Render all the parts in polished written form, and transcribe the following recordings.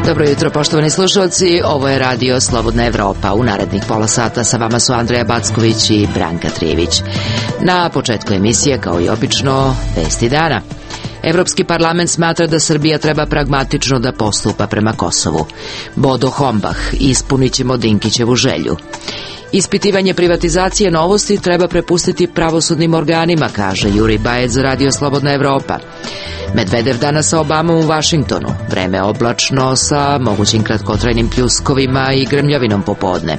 Dobro jutro, poštovani slušalci, ovo je Radio Slobodna Evropa. U narednih pola sata sa vama su Andreja Backović i Branka Trijević. Na početku emisije, kao i obično, vesti dana. Evropski parlament smatra da Srbija treba pragmatično da postupa prema Kosovu. Bodo Hombach, ispunit ćemo Dinkićevu želju. Ispitivanje privatizacije Novosti treba prepustiti pravosudnim organima, kaže Jurij Bajec za Radio Slobodna Evropa. Medvedev danas sa Obamom u Vašingtonu. Vreme oblačno sa mogućim kratkotrajnim pljuskovima i grmljavinom popodne.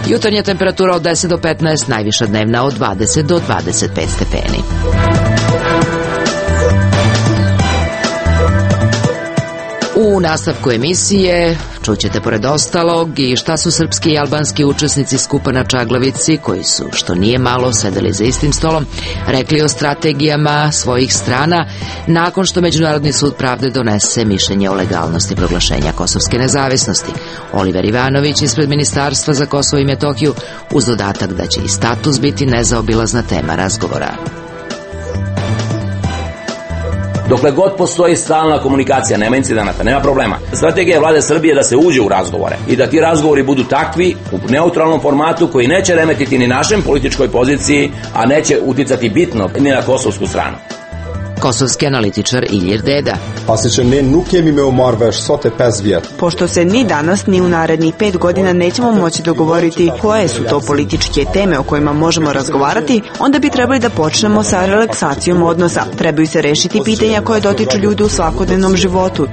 Jutarnja temperatura od 10 do 15, najviša dnevna od 20 do 25 stepeni. U nastavku emisije čućete pored ostalog i šta su srpski i albanski učesnici skupa na Čaglavici, koji su, što nije malo, sedeli za istim stolom, rekli o strategijama svojih strana nakon što Međunarodni sud pravde donese mišljenje o legalnosti proglašenja kosovske nezavisnosti. Oliver Ivanović ispred Ministarstva za Kosovo i Metohiju, uz dodatak da će i status biti nezaobilazna tema razgovora. Dokle god postoji stalna komunikacija, nema incidenata, nema problema. Strategija vlade Srbije da se uđe u razgovore i da ti razgovori budu takvi, u neutralnom formatu, koji neće remetiti ni našem političkoj poziciji, a neće uticati bitno ni na kosovsku stranu. Kosovski analitičar Ilir Deda. Pošto se ni danas ni u narednih 5 godina nećemo moći dogovoriti koje su to političke teme o kojima možemo razgovarati, onda bi trebali da počnemo sa relaksacijom odnosa. Trebaju se rešiti pitanja koje dotiču ljudi u svakodnevnom životu.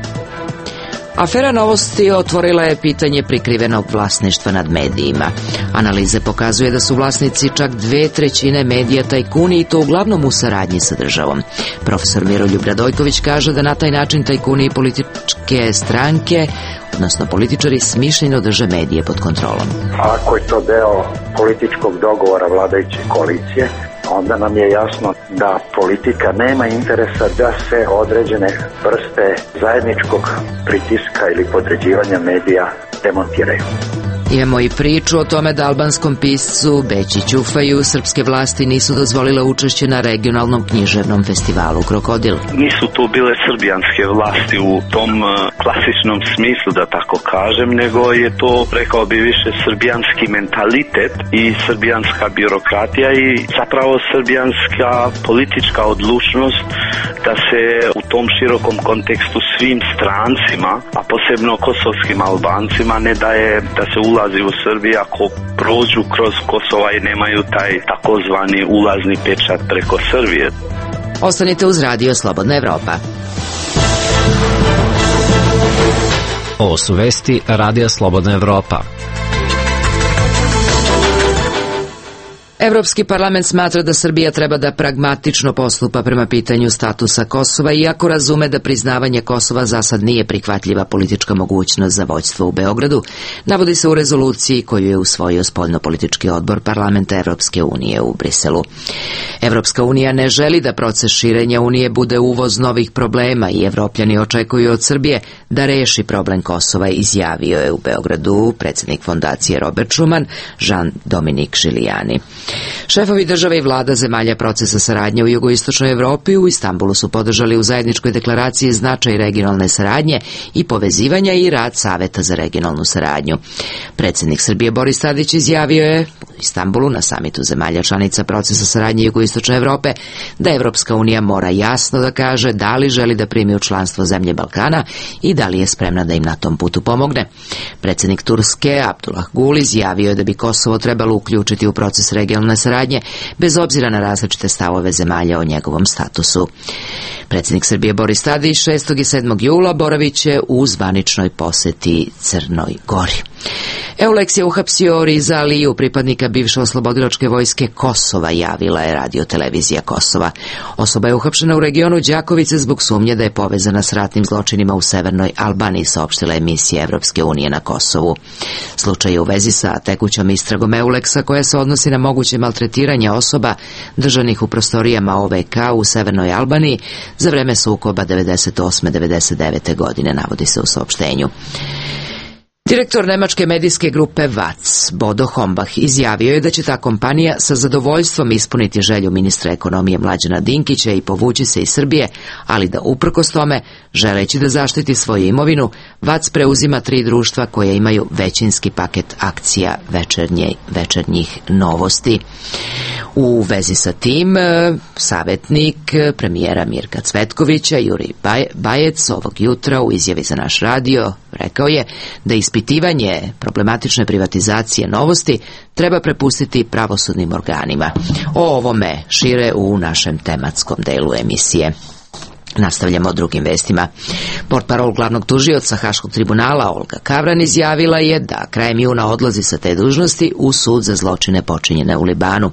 Afera Novosti otvorila je pitanje prikrivenog vlasništva nad medijima. Analize pokazuje da su vlasnici čak 2/3 medija tajkuni, i to uglavnom u saradnji sa državom. Profesor Miroljub Radojković kaže da na taj način tajkuni i političke stranke, odnosno političari, smišljeno drže medije pod kontrolom. Ako je to deo političkog dogovora vladajuće koalicije, onda nam je jasno da politika nema interesa da se određene vrste zajedničkog pritiska ili podređivanja medija demontiraju. Imamo i priču o tome da albanskom piscu Beći Ćufaju srpske vlasti nisu dozvolile učešće na regionalnom književnom festivalu Krokodil. Nisu to bile srbijanske vlasti u tom klasičnom smislu, da tako kažem, nego je to, rekao bi, više srbijanski mentalitet i srbijanska birokratija i zapravo srbijanska politička odlučnost da se u tom širokom kontekstu svim strancima, a posebno kosovskim Albancima, ne daje da se ulazi u Srbiju ako prođu kroz Kosova i nemaju taj takozvani ulazni pečat preko Srbije. Ostanite uz Radio Slobodna Evropa. Ovo su vesti Radija Slobodna Evropa. Evropski parlament smatra da Srbija treba da pragmatično postupa prema pitanju statusa Kosova, iako razume da priznavanje Kosova za sad nije prihvatljiva politička mogućnost za vođstvo u Beogradu, navodi se u rezoluciji koju je usvojio spoljnopolitički odbor Parlamenta Evropske unije u Briselu. Evropska unija ne želi da proces širenja unije bude uvoz novih problema i Evropljani očekuju od Srbije da reši problem Kosova, izjavio je u Beogradu predsjednik fondacije Robert Schuman, Jean-Dominique Giuliani. Šefovi države i vlada zemalja procesa saradnje u jugoistočnoj Evropi u Istanbulu su podržali u zajedničkoj deklaraciji značaj regionalne saradnje i povezivanja i rad Saveta za regionalnu saradnju. Predsjednik Srbije Boris Tadić izjavio je u Istanbulu na samitu zemalja članica procesa saradnje jugoistočne Evrope da Evropska unija mora jasno da kaže da li želi da primi u članstvo zemlje Balkana i da li je spremna da im na tom putu pomogne. Predsjednik Turske Abdullah Gul izjavio je da bi Kosovo trebalo uključiti u proces regionalne saradnje bez obzira na različite stavove zemalja o njegovom statusu. Predsjednik Srbije Boris Tadić 6. i 7. jula boravit će u zvaničnoj poseti Crnoj Gori. Eulex je uhapsio Riza Aliju, pripadnika bivše oslobodilačke vojske Kosova, javila je radiotelevizija Kosova. Osoba je uhapšena u regionu Đakovice zbog sumnje da je povezana s ratnim zločinima u severnoj Albaniji, saopštila emisija Evropske unije na Kosovu. Slučaj je u vezi sa tekućom istragom Eulexa koja se odnosi na moguće maltretiranje osoba držanih u prostorijama OVK u severnoj Albaniji za vreme sukoba 98. 99. godine, navodi se u saopštenju. Direktor nemačke medijske grupe WAZ, Bodo Hombach, izjavio je da će ta kompanija sa zadovoljstvom ispuniti želju ministra ekonomije Mlađana Dinkića i povući se iz Srbije, ali da uprkos tome, želeći da zaštiti svoju imovinu, WAZ preuzima 3 društva koja imaju većinski paket akcija Večernjih novosti. U vezi sa tim, savjetnik premijera Mirka Cvetkovića, Jurij Bajec, ovog jutra u izjavi za naš radio rekao je da ispitivanje problematične privatizacije Novosti treba prepustiti pravosudnim organima. O ovome šire u našem tematskom delu emisije. Nastavljamo drugim vestima. Portparol glavnog tužioca Haškog tribunala Olga Kavran izjavila je da krajem juna odlazi sa te dužnosti u sud za zločine počinjene u Libanu.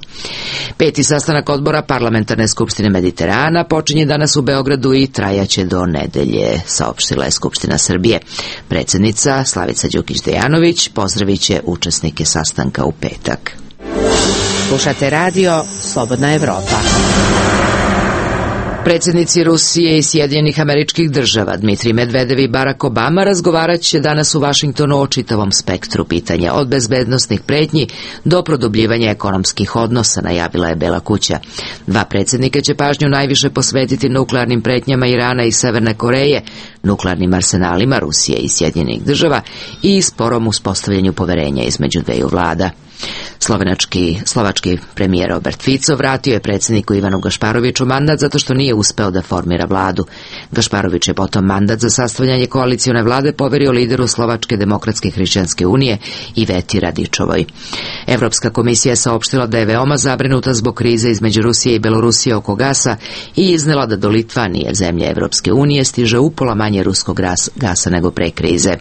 5. sastanak odbora Parlamentarne skupštine Mediterana počinje danas u Beogradu i trajaće do nedelje, saopštila je Skupština Srbije. Predsjednica Slavica Đukić-Dejanović pozdravit će učesnike sastanka u petak. Slušate radio Slobodna Evropa. Predsjednici Rusije i Sjedinjenih Američkih Država Dmitrij Medvedev i Barack Obama razgovarat će danas u Vašingtonu o čitavom spektru pitanja, od bezbednosnih pretnji do produbljivanja ekonomskih odnosa, najavila je Bela kuća. 2 predsjednika će pažnju najviše posvetiti nuklearnim pretnjama Irana i Severne Koreje, nuklearnim arsenalima Rusije i Sjedinjenih Država i sporom uspostavljanju poverenja između dveju vlada. Slovački premijer Robert Fico vratio je predsjedniku Ivanu Gašparoviću mandat zato što nije uspeo da formira vladu. Gašparović je potom mandat za sastavljanje koalicione vlade poverio lideru Slovačke demokratske hrišćanske unije Iveti Radičovoj. Evropska komisija je saopštila da je veoma zabrinuta zbog krize između Rusije i Belorusije oko gasa i iznela da do Litvanije, zemlje Evropske unije, stiže upola manje ruskog gasa nego pre krize.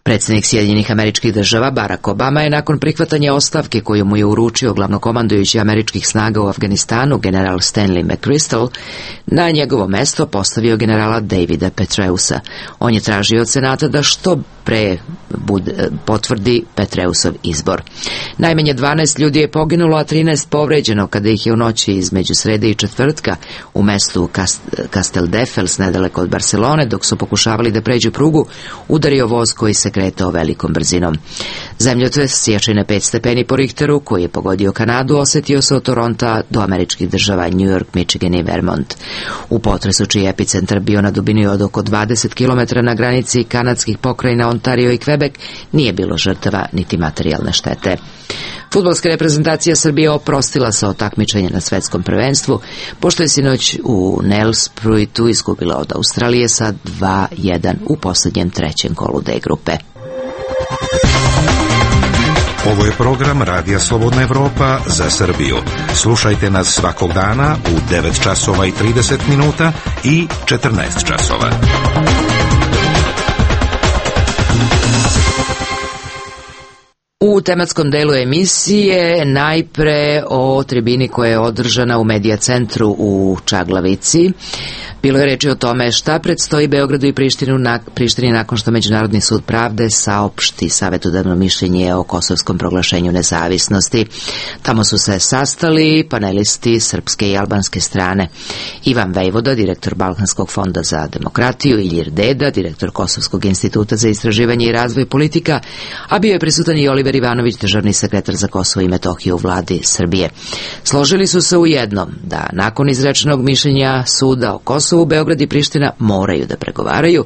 Predsjednik Sjedinjenih Američkih Država Barack Obama je nakon prihvatanja ostavke koju mu je uručio glavnokomandujući američkih snaga u Afganistanu general Stanley McChrystal na njegovo mesto postavio generala Davida Petreusa. On je tražio od Senata da što pre potvrdi Petreusov izbor. Najmanje 12 ljudi je poginulo, a 13 povređeno kada ih je u noći između srede i četvrtka u mestu Casteldefels nedaleko od Barcelone, dok su pokušavali da pređu prugu, udario voz koji se kretao velikom brzinom. Zemljotres jačine 5 stepeni po Richteru, koji je pogodio Kanadu, osetio se od Toronta do američkih država New York, Michigan i Vermont. U potresu čiji epicentar bio na dubini od oko 20 km na granici kanadskih pokrajina Ontario i Quebec, nije bilo žrtava niti materijalne štete. Fudbalska reprezentacija Srbije oprostila se od takmičenja na svetskom prvenstvu, pošto je sinoć u Nelspruitu izgubila od Australije sa 2-1 u posljednjem 3. kolu D grupe. Ovo je program Radija Slobodna Evropa za Srbiju. Slušajte nas svakog dana u 9 časova i 30 minuta i 14 časova. U tematskom delu emisije najpre o tribini koja je održana u Medija centru u Čaglavici. Bilo je reči o tome šta predstoji Beogradu i Prištini nakon što Međunarodni sud pravde saopšti savjetodavno mišljenje o kosovskom proglašenju nezavisnosti. Tamo su se sastali panelisti srpske i albanske strane. Ivan Vejvoda, direktor Balkanskog fonda za demokratiju, Ilir Deda, direktor Kosovskog instituta za istraživanje i razvoj politika, a bio je prisutan i Oliver Ivanović, državni sekretar za Kosovo i Metohiju u vladi Srbije. Složili su se u jednom, da nakon izrečenog mišljenja suda o Kosovu, Beograd i Priština moraju da pregovaraju,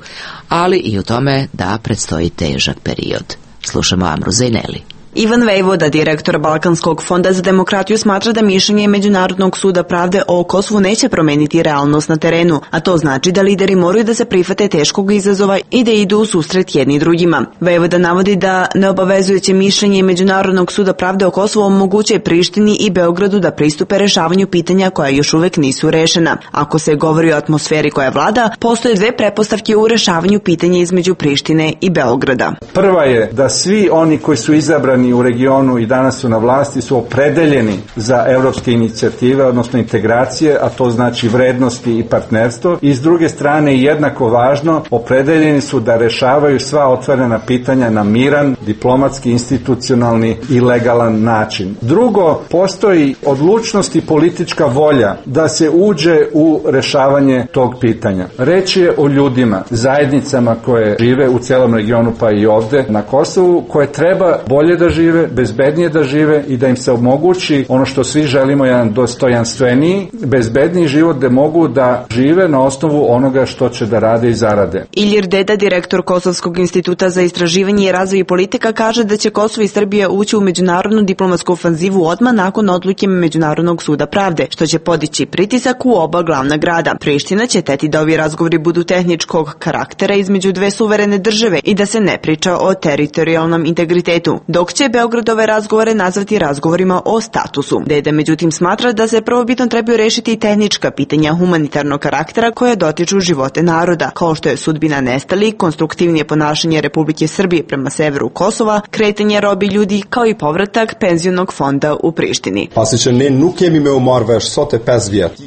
ali i u tome da predstoji težak period. Slušamo Amru Zajneli. Ivan Vejvoda, direktor Balkanskog fonda za demokratiju, smatra da mišljenje Međunarodnog suda pravde o Kosovu neće promeniti realnost na terenu, a to znači da lideri moraju da se prihvate teškog izazova i da idu u susret jedni drugima. Vejvoda navodi da neobavezujuće mišljenje Međunarodnog suda pravde o Kosovu omogućuje Prištini i Beogradu da pristupe rešavanju pitanja koja još uvek nisu rešena. Ako se govori o atmosferi koja vlada, postoje 2 pretpostavke u rešavanju pitanja između Prištine i Beograda. Prva je da svi oni koji su izabrani građani u regionu i danas su na vlasti su opredeljeni za evropske inicijative, odnosno integracije, a to znači vrednosti i partnerstvo. I s druge strane, jednako važno, opredeljeni su da rešavaju sva otvorena pitanja na miran, diplomatski, institucionalni i legalan način. Drugo, postoji odlučnost i politička volja da se uđe u rešavanje tog pitanja. Reč je o ljudima, zajednicama koje žive u celom regionu pa i ovde na Kosovu, koje treba bolje da žive, bezbednije da žive i da im se omogući ono što svi želimo, jedan dostojanstveniji, bezbedniji život gde mogu da žive na osnovu onoga što će da rade i zarade. Ilir Deda, direktor Kosovskog instituta za istraživanje i razvoj politika, kaže da će Kosovo i Srbija ući u međunarodnu diplomatsku ofanzivu odmah nakon odluke Međunarodnog suda pravde, što će podići pritisak u oba glavna grada. Priština će teti da ovi razgovori budu tehničkog karaktera između dve suverene države i da se ne priča o teritorijalnom integritetu, dok će Beograd ove razgovore nazvati razgovorima o statusu. Deda međutim smatra da se prvobitno trebaju rešiti i tehnička pitanja humanitarnog karaktera koje dotiču živote naroda, kao što je sudbina nestalih, konstruktivnije ponašanje Republike Srbije prema severu Kosova, kretanje robi ljudi, kao i povratak penzionog fonda u Prištini.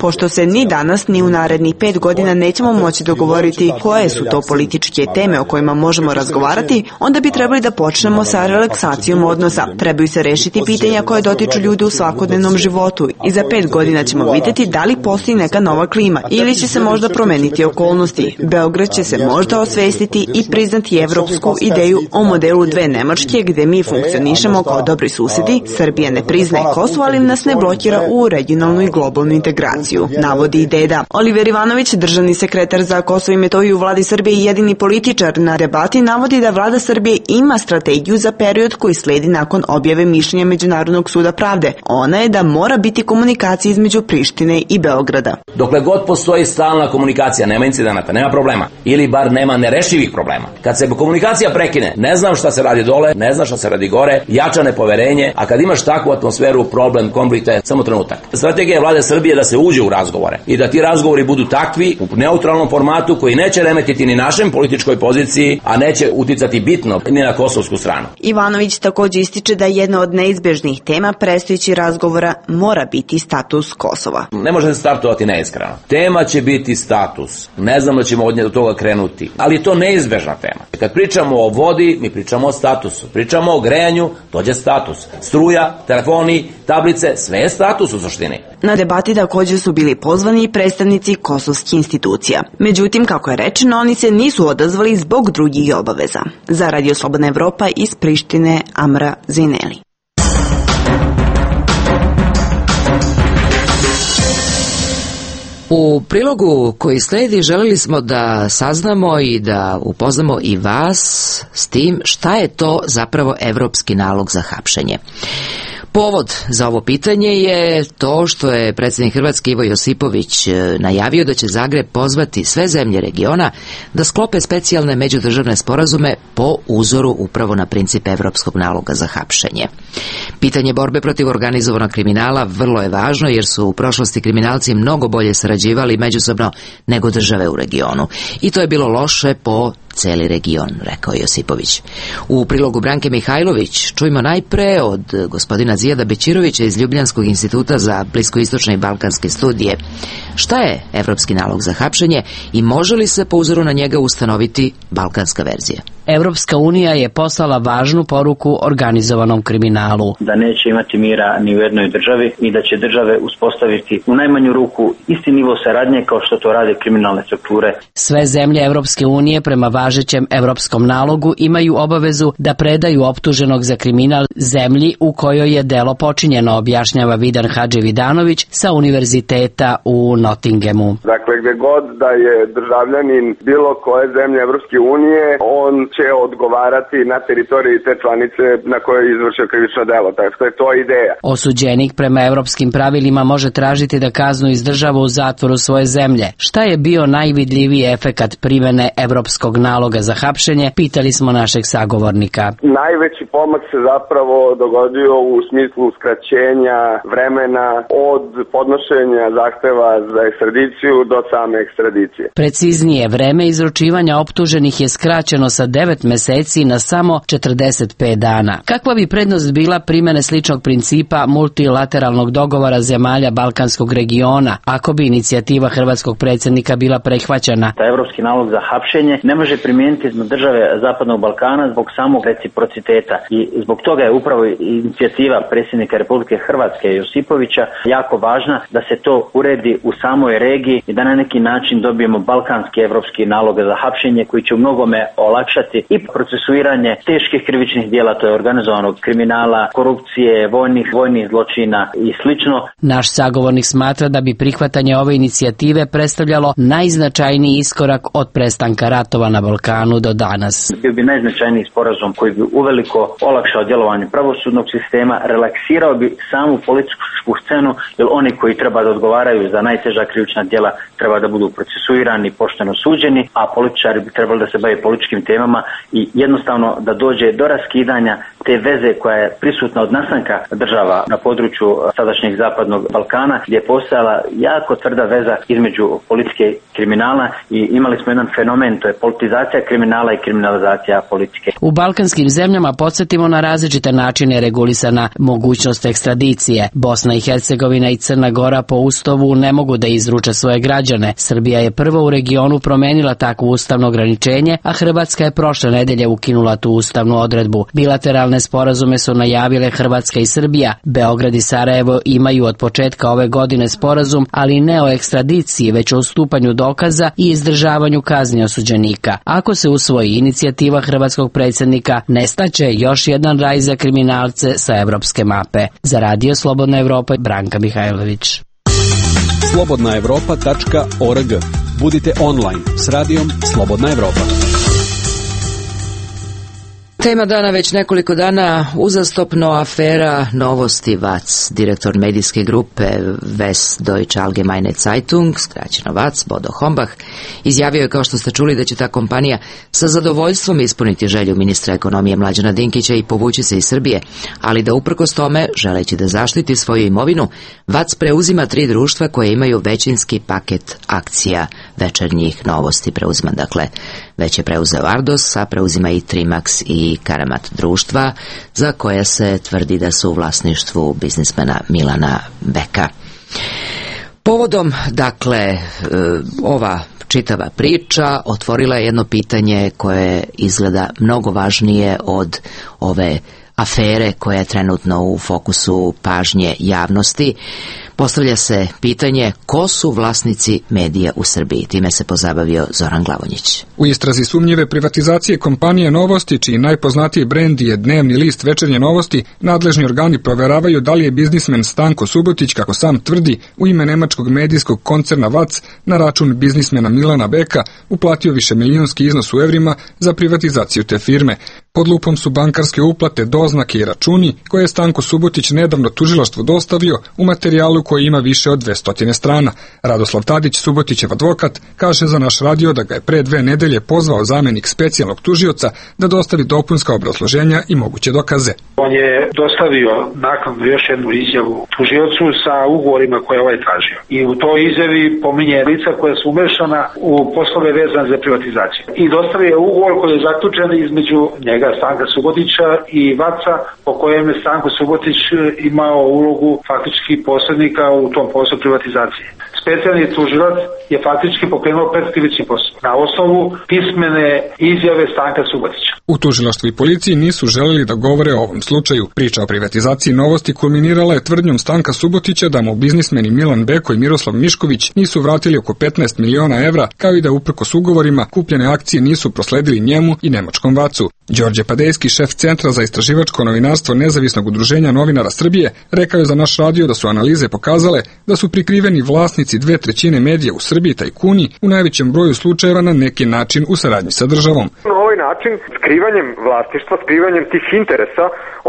Pošto se ni danas ni u narednih 5 godina nećemo moći dogovoriti koje su to političke teme o kojima možemo razgovarati, onda bi trebali da počnemo sa relaksacijom odnosa. Trebaju se rešiti pitanja koje dotiču ljudi u svakodnevnom životu i za 5 godina ćemo vidjeti da li postoji neka nova klima ili će se možda promeniti okolnosti. Beograd će se možda osvestiti i priznati evropsku ideju o modelu dve Nemačke gde mi funkcionišemo kao dobri susedi. Srbija ne priznaje Kosovo, ali nas ne blokira u regionalnu i globalnu integraciju, navodi i Deda. Oliver Ivanović, državni sekretar za Kosovo i Metohiju u vladi Srbije i jedini političar na debati, navodi da vlada Srbije ima strategiju za period koji sledi nakon objave mišljenja Međunarodnog suda pravde. Ona je da mora biti komunikacija između Prištine i Beograda. Dokle god postoji stalna komunikacija, nema incidenata, nema problema, ili bar nema nerešivih problema. Kad se komunikacija prekine, ne znam šta se radi dole, ne znam šta se radi gore, jača nepoverenje, a kad imaš takvu atmosferu, problem, konflikt je samo trenutak. Strategija vlade Srbije da se uđe u razgovore i da ti razgovori budu takvi u neutralnom formatu koji neće remetiti ni našem političkoj poziciji, a neće uticati bitno ni na kosovsku stranu. Ivanović takođe ističe da jedna od neizbežnih tema predstojećih razgovora mora biti status Kosova. Ne može se startovati neiskreno. Tema će biti status. Ne znam da ćemo od toga krenuti, ali je to neizbežna tema. Kad pričamo o vodi, mi pričamo o statusu. Pričamo o grejanju, dođe status. Struja, telefoni, tablice, sve je status u suštini. Na debati takođe su bili pozvani i predstavnici kosovskih institucija. Međutim, kako je rečeno, oni se nisu odazvali zbog drugih obaveza. Za Radio Slobodna Evropa iz Prištine, Amra Zineli. U prilogu koji sledi želeli smo da saznamo i da upoznamo i vas s tim šta je to zapravo evropski nalog za hapšenje. Povod za ovo pitanje je to što je predsjednik Hrvatske Ivo Josipović najavio da će Zagreb pozvati sve zemlje regiona da sklope specijalne međudržavne sporazume po uzoru upravo na princip evropskog naloga za hapšenje. Pitanje borbe protiv organizovanog kriminala vrlo je važno jer su u prošlosti kriminalci mnogo bolje sarađivali međusobno nego države u regionu. I to je bilo loše po celi region, rekao Josipović. U prilogu Branke Mihajlović čujmo najpre od gospodina Zijada Bećirovića iz Ljubljanskog instituta za bliskoistočne i balkanske studije. Šta je evropski nalog za hapšenje i može li se po uzoru na njega ustanoviti balkanska verzija? Evropska unija je poslala važnu poruku organizovanom kriminalu. Da neće imati mira ni u jednoj državi i da će države uspostaviti u najmanju ruku isti nivo saradnje kao što to rade kriminalne strukture. Sve zemlje Evropske unije prema važećem evropskom nalogu imaju obavezu da predaju optuženog za kriminal zemlji u kojoj je delo počinjeno, objašnjava Vidan Hadžividanović sa univerziteta u Nottinghamu. Dakle, gde god da je državljanin bilo koje zemlje Evropske unije, on će odgovarati na teritoriji te članice na kojoj je izvršio krivično delo. Tako je to ideja. Osuđenik prema evropskim pravilima može tražiti da kaznu izdržava u zatvoru svoje zemlje. Šta je bio najvidljiviji efekat primene evropskog naloga za hapšenje, pitali smo našeg sagovornika. Najveći pomak se zapravo dogodio u smislu skraćenja vremena od podnošenja zahteva za ekstradiciju do same ekstradicije. Preciznije, vreme izručivanja optuženih je skraćeno sa 10 9 meseci na samo 45 dana. Kakva bi prednost bila primjene sličnog principa multilateralnog dogovora zemalja Balkanskog regiona, ako bi inicijativa hrvatskog predsjednika bila prihvaćena? Evropski nalog za hapšenje ne može primijeniti na države Zapadnog Balkana zbog samog reciprociteta i zbog toga je upravo inicijativa predsjednika Republike Hrvatske Josipovića jako važna da se to uredi u samoj regiji i da na neki način dobijemo balkanski evropski nalog za hapšenje koji će u mnogome olakšati i procesuiranje teških krivičnih djela, to je organizovanog kriminala, korupcije, vojnih zločina i slično. Naš sagovornik smatra da bi prihvatanje ove inicijative predstavljalo najznačajniji iskorak od prestanka ratova na Balkanu do danas. Bio bi najznačajniji sporazum koji bi uveliko olakšao djelovanje pravosudnog sistema, relaksirao bi samu političku scenu, jer oni koji treba da odgovaraju za najteža krivična djela treba da budu procesuirani, pošteno suđeni, a političari bi trebali da se bave političkim temama i jednostavno da dođe do raskidanja te veze koja je prisutna od nastanka država na području sadašnjeg Zapadnog Balkana, gdje je postojala jako tvrda veza između politike i kriminala i imali smo jedan fenomen, to je politizacija kriminala i kriminalizacija politike. U balkanskim zemljama podsjetimo na različite načine regulisana mogućnost ekstradicije. Bosna i Hercegovina i Crna Gora po Ustavu ne mogu da izruče svoje građane. Srbija je prvo u regionu promenila takvo ustavno ograničenje, a Hrvatska je prošle nedelje ukinula tu ustavnu odredbu. Bilateralne sporazume su najavile Hrvatska i Srbija. Beograd i Sarajevo imaju od početka ove godine sporazum, ali ne o ekstradiciji, već o ustupanju dokaza i izdržavanju kazni osuđenika. Ako se usvoji inicijativa hrvatskog predsjednika, nestaće još jedan raj za kriminalce sa evropske mape. Za Radio Slobodna Evropa, Branka Mihajlović. slobodnaevropa.org. Budite online s radijom Slobodna Evropa. Tema dana već nekoliko dana uzastopno afera Novosti VAC. Direktor medijske grupe Westdeutsche Allgemeine Zeitung, skraćeno VAC, Bodo Hombach, izjavio je, kao što ste čuli, da će ta kompanija sa zadovoljstvom ispuniti želju ministra ekonomije Mlađana Dinkića i povući se iz Srbije, ali da uprkos tome, želeći da zaštiti svoju imovinu, VAC preuzima 3 društva koje imaju većinski paket akcija Večernjih Novosti. Preuzima, dakle, već je preuzeo Ardos, a preuzima i Trimax i Karamat društva, za koja se tvrdi da su u vlasništvu biznismena Milana Beka. Povodom, dakle, ova čitava priča otvorila je jedno pitanje koje izgleda mnogo važnije od ove afere koja je trenutno u fokusu pažnje javnosti. Postavlja se pitanje ko su vlasnici medija u Srbiji. Time se pozabavio Zoran Glavonjić. U istrazi sumnjive privatizacije kompanije Novosti, čiji najpoznatiji brend je dnevni list Večernje Novosti, nadležni organi proveravaju da li je biznismen Stanko Subotić, kako sam tvrdi, u ime nemačkog medijskog koncerna VAC na račun biznismena Milana Beka uplatio višemilijonski iznos u evrima za privatizaciju te firme. Pod lupom su bankarske uplate, doznake i računi koje je Stanko Subotić nedavno tužilaštvu dostavio u materijalu koji ima više od 200 strana. Radoslav Tadić, Subotićev advokat, kaže za naš radio da ga je pre 2 nedelje pozvao zamjenik specijalnog tužioca da dostavi dopunska obrazloženja i moguće dokaze. On je dostavio naknadno još jednu izjavu tužiocu sa ugovorima koje ovaj tražio. I u toj izjavi pominje lica koja su umešana u poslove vezane za privatizaciju. I dostavio je ugovor koji je zaključen između njega, Stanka Subotića, i VAC-a, po kojem je Stanko Subotić imao ulogu faktički posrednika u tom poslu privatizacije. Specijalni tužilac je faktički pokrenuo predkrivični postupak na osnovu pismene izjave Stanka Subotića. U tužilaštvu i policiji nisu želeli da govore o ovom slučaju. Priča o privatizaciji Novosti kulminirala je tvrdnjom Stanka Subotića da mu biznismeni Milan Beko i Miroslav Mišković nisu vratili oko 15 miliona evra, kao i da uprkos ugovorima kupljene akcije nisu prosledili njemu i nemačkom VAC-u. Đorđe Padejski, šef Centra za istraživačko novinarstvo Nezavisnog udruženja novinara Srbije, rekao je za naš radio da su analize pokazale da su prikriveni vlasnici 2/3 medija u Srbiji tajkuni u najvećem broju slučajeva na neki način u saradnji sa državom. Na ovaj način, skrivanjem vlasništva, skrivanjem tih interesa,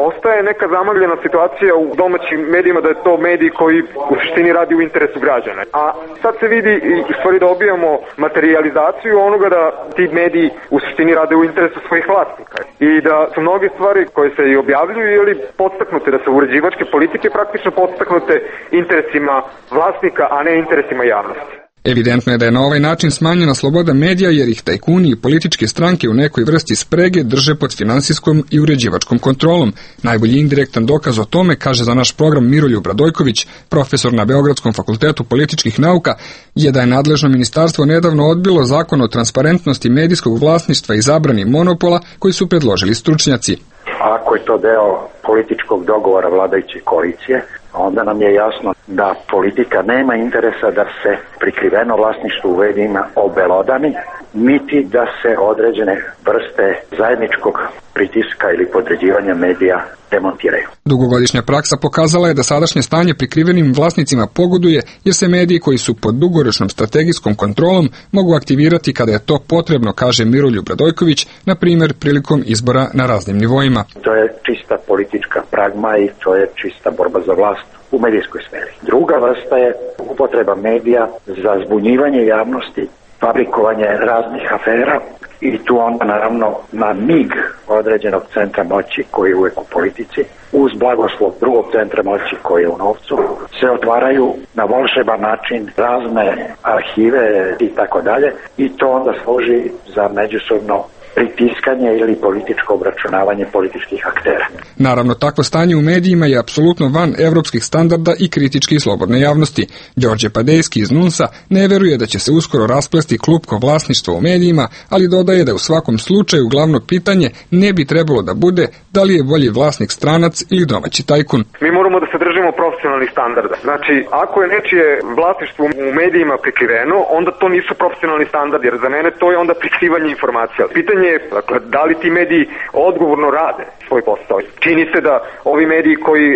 ostaje neka zamagljena situacija u domaćim medijima da je to medij koji u suštini radi u interesu građana. A sad se vidi i stvari dobijamo materializaciju onoga da ti mediji u suštini rade u interesu svojih vlasnika. I da su mnoge stvari koje se i objavljuju ili podstaknute, da su uređivačke politike praktično podstaknute interesima vlasnika, a ne interesima javnosti. Evidentno je da je na ovaj način smanjena sloboda medija jer ih tajkuni i političke stranke u nekoj vrsti sprege drže pod finansijskom i uređivačkom kontrolom. Najbolji indirektan dokaz o tome, kaže za naš program Miroljub Radojković, profesor na Beogradskom fakultetu političkih nauka, je da je nadležno ministarstvo nedavno odbilo zakon o transparentnosti medijskog vlasništva i zabrani monopola koji su predložili stručnjaci. Ako je to deo političkog dogovora vladajuće koalicije, onda nam je jasno da politika nema interesa da se prikriveno vlasništvo u medijima obelodani, niti da se određene vrste zajedničkog pritiska ili podređivanja medija demontiraju. Dugogodišnja praksa pokazala je da sadašnje stanje prikrivenim vlasnicima pogoduje jer se mediji koji su pod dugoročnom strategijskom kontrolom mogu aktivirati kada je to potrebno, kaže Miroljub Radojković, na primjer prilikom izbora na raznim nivoima. To je čista politička pragma i to je čista borba za vlast u medijskoj sferi. Druga vrsta je upotreba medija za zbunjivanje javnosti, fabrikovanje raznih afera i tu onda naravno na mig određenog centra moći koji je uvek u politici, uz blagoslov drugog centra moći koji je u novcu, se otvaraju na volšeban način razne arhive i tako dalje i to onda služi za međusobno pritiskanje ili političko obračunavanje političkih aktera. Naravno, takvo stanje u medijima je apsolutno van evropskih standarda i kritički slobodne javnosti. Đorđe Padejski iz NUNS-a ne veruje da će se uskoro rasplesti klupko vlasništva u medijima, ali dodaje da u svakom slučaju glavno pitanje ne bi trebalo da bude da li je bolji vlasnik stranac ili domaći tajkun. Mi moramo da se držimo profesionalnih standarda. Znači, ako je nečije vlasništvo u medijima prikriveno, onda to nisu profesionalni standardi, jer za mene to je onda prikrivanje informacija. Pitanje je, dakle, da li ti mediji odgovorno rade svoj posao. Čini se da ovi mediji koji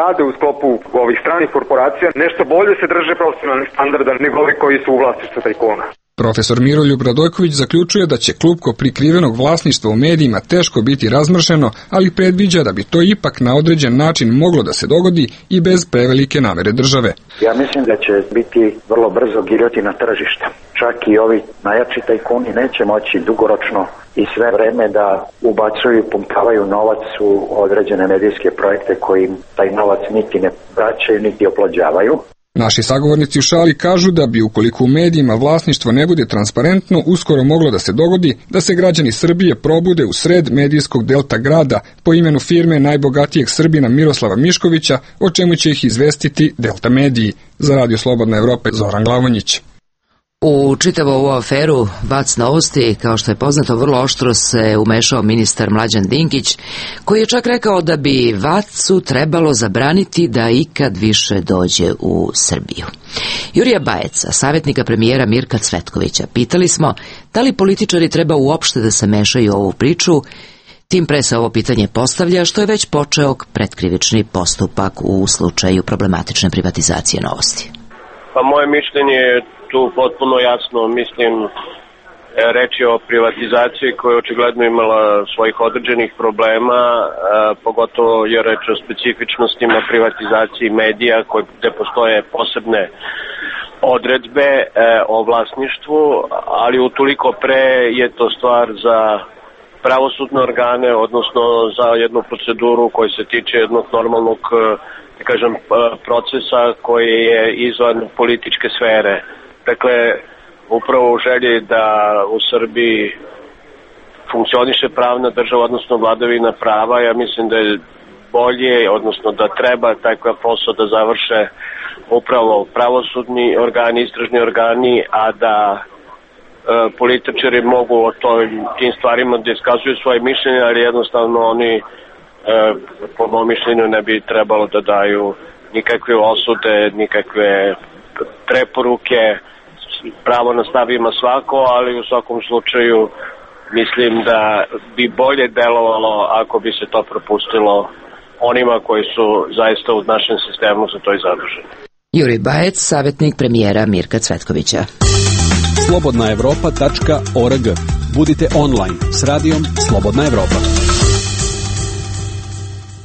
rade u sklopu ovih stranih korporacija nešto bolje se drže profesionalnih standarda nego ovi koji su u vlasništvu tajkuna. Profesor Miroljub Radojković zaključuje da će klupko prikrivenog vlasništva u medijima teško biti razmršeno, ali predviđa da bi to ipak na određen način moglo da se dogodi i bez prevelike namere države. Ja mislim da će biti vrlo brzo giljotina tržišta. Čak i ovi najjači tajkuni neće moći dugoročno i sve vreme da ubacuju i pumpavaju novac u određene medijske projekte koji im taj novac niti ne vraćaju, niti oplođavaju. Naši sagovornici u šali kažu da bi ukoliko u medijima vlasništvo ne bude transparentno, uskoro moglo da se dogodi da se građani Srbije probude u sred medijskog delta grada po imenu firme najbogatijeg Srbina Miroslava Miškovića, o čemu će ih izvestiti Delta mediji. Za Radio Slobodna Evropa, Zoran Glavonjić. U čitavu ovu aferu Vac novosti, kao što je poznato, vrlo oštro se umešao ministar Mlađan Dinkić, koji je čak rekao da bi Vacu trebalo zabraniti da ikad više dođe u Srbiju. Jurija Bajeca, savjetnika premijera Mirka Cvetkovića, pitali smo da li političari treba uopšte da se mešaju u ovu priču. Tim pre se ovo pitanje postavlja što je već počeo pretkrivični postupak u slučaju problematične privatizacije Novosti. Pa moje mišljenje je tu potpuno jasno, mislim, reč je o privatizaciji koja je očigledno imala svojih određenih problema, pogotovo je reč o specifičnostima privatizaciji medija gde postoje posebne odredbe o vlasništvu, ali utoliko pre je to stvar za pravosudne organe, odnosno za jednu proceduru koja se tiče jednog normalnog, da kažem, procesa koji je izvan političke sfere. Dakle, upravo u želji da u Srbiji funkcioniše pravna država, odnosno vladavina prava, ja mislim da je bolje, odnosno da treba takav posao da završe upravo pravosudni organi, istražni organi, a da političari mogu o tim stvarima da iskazuju svoje mišljenje, ali jednostavno oni po mom mišljenju ne bi trebalo da daju nikakve osude, nikakve preporuke. Pravo na stav ima svako, ali u svakom slučaju mislim da bi bolje delovalo ako bi se to propustilo onima koji su zaista u našem sistemu za to i zaduženi. Jurij Bajec, savjetnik premijera Mirka Cvetkovića. slobodnaevropa.org. Budite online s radijom Slobodna Evropa.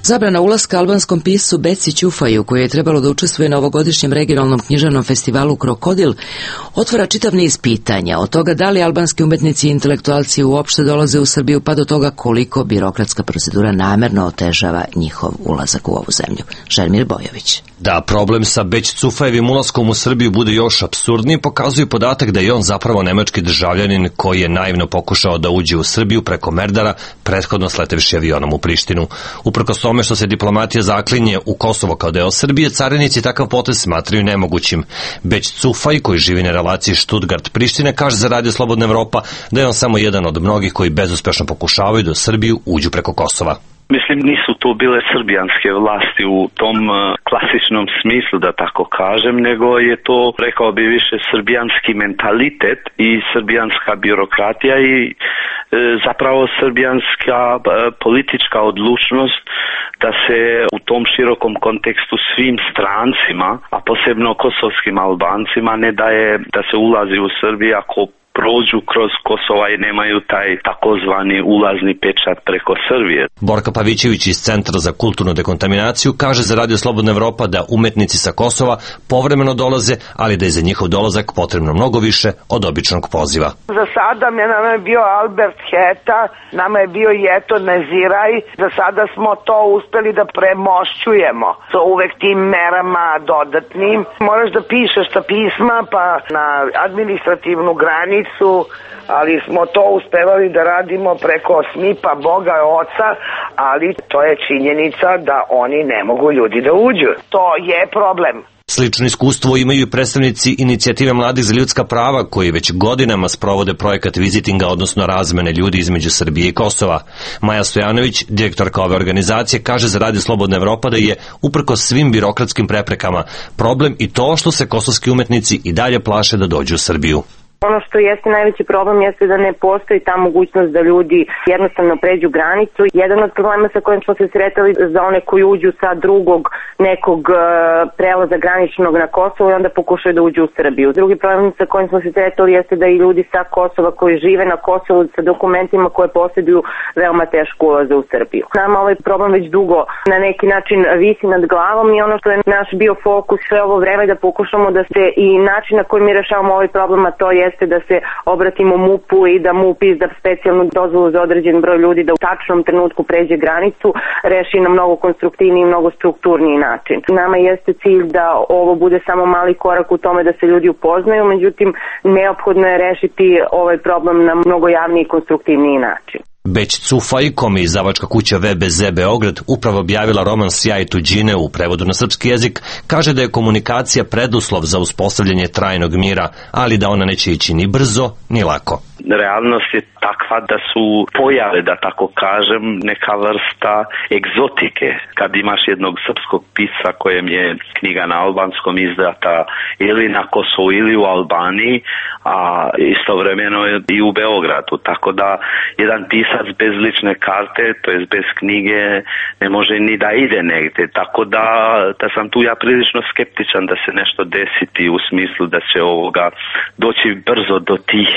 Zabrana ulaska albanskom piscu Beci Ćufaju, koji je trebalo da učestvuje na ovogodišnjem regionalnom književnom festivalu Krokodil, otvara čitav niz pitanja, od toga da li albanski umetnici i intelektualci uopšte dolaze u Srbiju, pa do toga koliko birokratska procedura namerno otežava njihov ulazak u ovu zemlju. Željmir Bojović. Da problem sa Beć Cufajevim ulaskom u Srbiju bude još apsurdniji pokazuje podatak da je on zapravo nemački državljanin koji je naivno pokušao da uđe u Srbiju preko Merdara, prethodno sletevši avionom u Prištinu. Uprkos tome što se diplomatija zaklinje u Kosovo kao deo Srbije, carinici takav potez smatraju nemogućim. Beć Cufaj, koji živi na relaciji Stuttgart-Priština, kaže za Radio Slobodna Evropa da je on samo jedan od mnogih koji bezuspešno pokušavaju da u Srbiju uđu preko Kosova. Mislim, nisu to bile srbijanske vlasti u tom klasičnom smislu, da tako kažem, nego je to, rekao bi, više srbijanski mentalitet i srbijanska birokratija i zapravo srbijanska politička odlučnost da se u tom širokom kontekstu svim strancima, a posebno kosovskim Albancima, ne daje da se ulazi u Srbiju ako prođu kroz Kosova i nemaju taj takozvani ulazni pečat preko Srbije. Borka Pavićević iz Centra za kulturnu dekontaminaciju kaže za Radio Slobodna Evropa da umetnici sa Kosova povremeno dolaze, ali da je za njihov dolazak potrebno mnogo više od običnog poziva. Za sada nama je bio Albert Heta, nama je bio Jeto Neziraj, za sada smo to uspeli da premošćujemo sa uvek tim merama dodatnim. Moraš da pišeš ta pisma pa na administrativnu granicu, ali smo to uspevali da radimo preko SMIP-a, Boga Oca, ali to je činjenica da oni ne mogu ljudi da uđu. To je problem. Slično iskustvo imaju i predstavnici Inicijative mladih za ljudska prava koji već godinama sprovode projekat vizitinga, odnosno razmene ljudi između Srbije i Kosova. Maja Stojanović, direktorka ove organizacije, kaže za Radio Slobodna Evropa da je uprkos svim birokratskim preprekama problem i to što se kosovski umetnici i dalje plaše da dođu u Srbiju. Ono što jeste najveći problem jeste da ne postoji ta mogućnost da ljudi jednostavno pređu granicu. Jedan od problema sa kojim smo se sretali za one koji uđu sa drugog nekog prelaza graničnog na Kosovo i onda pokušaju da uđu u Srbiju. Drugi problem sa kojim smo se sretali jeste da i ljudi sa Kosova koji žive na Kosovu sa dokumentima koje posjeduju veoma teško ulaze u Srbiju. Nama ovaj problem već dugo na neki način visi nad glavom i ono što je naš bio fokus sve ovo vreme da pokušamo da se i način na koji mi rešavamo ovaj problem, a to jeste da se obratimo MUP-u i da MUP izda specijalnu dozvolu za određen broj ljudi da u tačnom trenutku pređe granicu, reši na mnogo konstruktivniji i mnogo strukturniji način. Nama jeste cilj da ovo bude samo mali korak u tome da se ljudi upoznaju, međutim neophodno je rešiti ovaj problem na mnogo javniji i konstruktivniji način. Beć Cufaj, kome je izdavačka kuća VBZ Beograd upravo objavila roman Sjaj tuđine u prevodu na srpski jezik, kaže da je komunikacija preduslov za uspostavljanje trajnog mira, ali da ona neće ići ni brzo, ni lako. Realnost je takva da su pojave, da tako kažem, neka vrsta egzotike. Kad imaš jednog srpskog pisca kojem je knjiga na albanskom izdata ili na Kosovu ili u Albaniji, a istovremeno i u Beogradu. Tako da jedan pisac bez lične karte, to jest bez knjige, ne može ni da ide negde. Tako da sam tu ja prilično skeptičan da se nešto desiti u smislu da će doći brzo do tih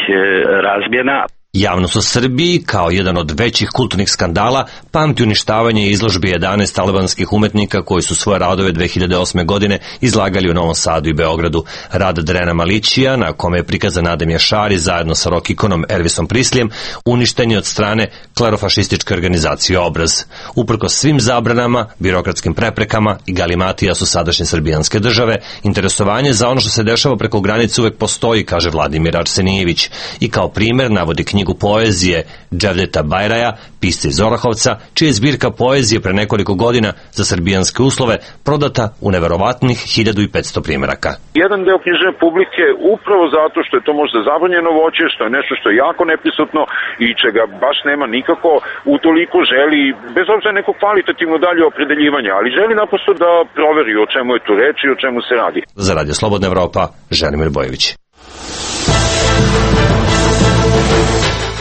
razmjena. Javnost u Srbiji, kao jedan od većih kulturnih skandala, pamti uništavanje izložbe 11 albanskih umetnika koji su svoje radove 2008. godine izlagali u Novom Sadu i Beogradu. Rad Drena Malićija, na kome je prikazan Adem Jašari zajedno sa rock ikonom Elvisom Prislijem, uništen je od strane klerofašističke organizacije Obraz. Uprkos svim zabranama, birokratskim preprekama i galimatija su sadašnje srbijanske države, interesovanje za ono što se dešava preko granice uvek postoji, kaže Vladimir Arsenijević. I kao primer navodi knjigu poezije Dževdeta Bajraja, pisca iz Orahovca, čija je zbirka poezije pre nekoliko godina za srbijanske uslove prodata u neverovatnih 1500 primeraka. Jedan deo knjižne publike upravo zato što je to možda zabranjeno voće, što je nešto što je jako neprisutno i čega baš nema nikako, utoliko želi, bez obzira neko kvalitativno dalje opredeljivanje, ali želi naprosto da proveri o čemu je tu reč i o čemu se radi. Za Radio Slobodna Evropa, Želimir Bojović.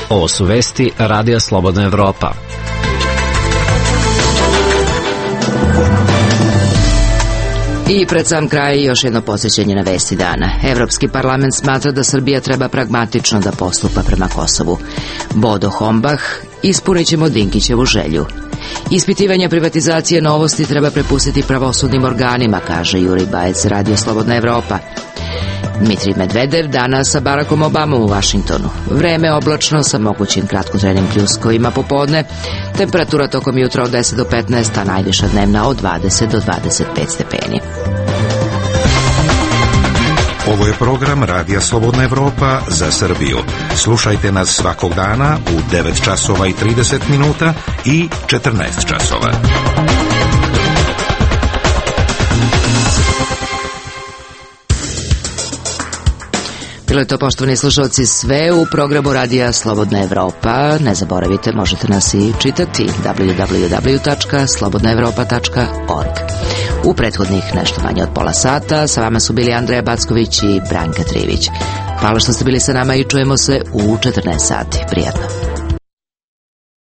Ovo su vesti Radija Slobodna Evropa. I pred sam kraj još jedno podsjećanje na vesti dana. Evropski parlament smatra da Srbija treba pragmatično da postupa prema Kosovu. Bodo Hombach, ispunit ćemo Dinkićevu želju. Ispitivanje privatizacije Novosti treba prepustiti pravosudnim organima, kaže Jurij Bajec, Radio Slobodna Evropa. Dmitrij Medvedev danas sa Barackom Obamom u Vašingtonu. Vreme oblačno sa mogućim kratkotrenim pljuskovima popodne. Temperatura tokom jutra od 10 do 15, a najviša dnevna od 20 do 25 stepeni. Ovo je program Radija Slobodna Evropa za Srbiju. Slušajte nas svakog dana u 9 časova i 30 minuta i 14 časova. Bilo je to, poštovani slušalci, sve u programu Radija Slobodna Evropa. Ne zaboravite, možete nas i čitati www.slobodnaevropa.org. U prethodnih nešto manje od pola sata sa vama su bili Andreja Backović i Branka Trivić. Hvala što ste bili sa nama i čujemo se u 14 sati. Prijatno.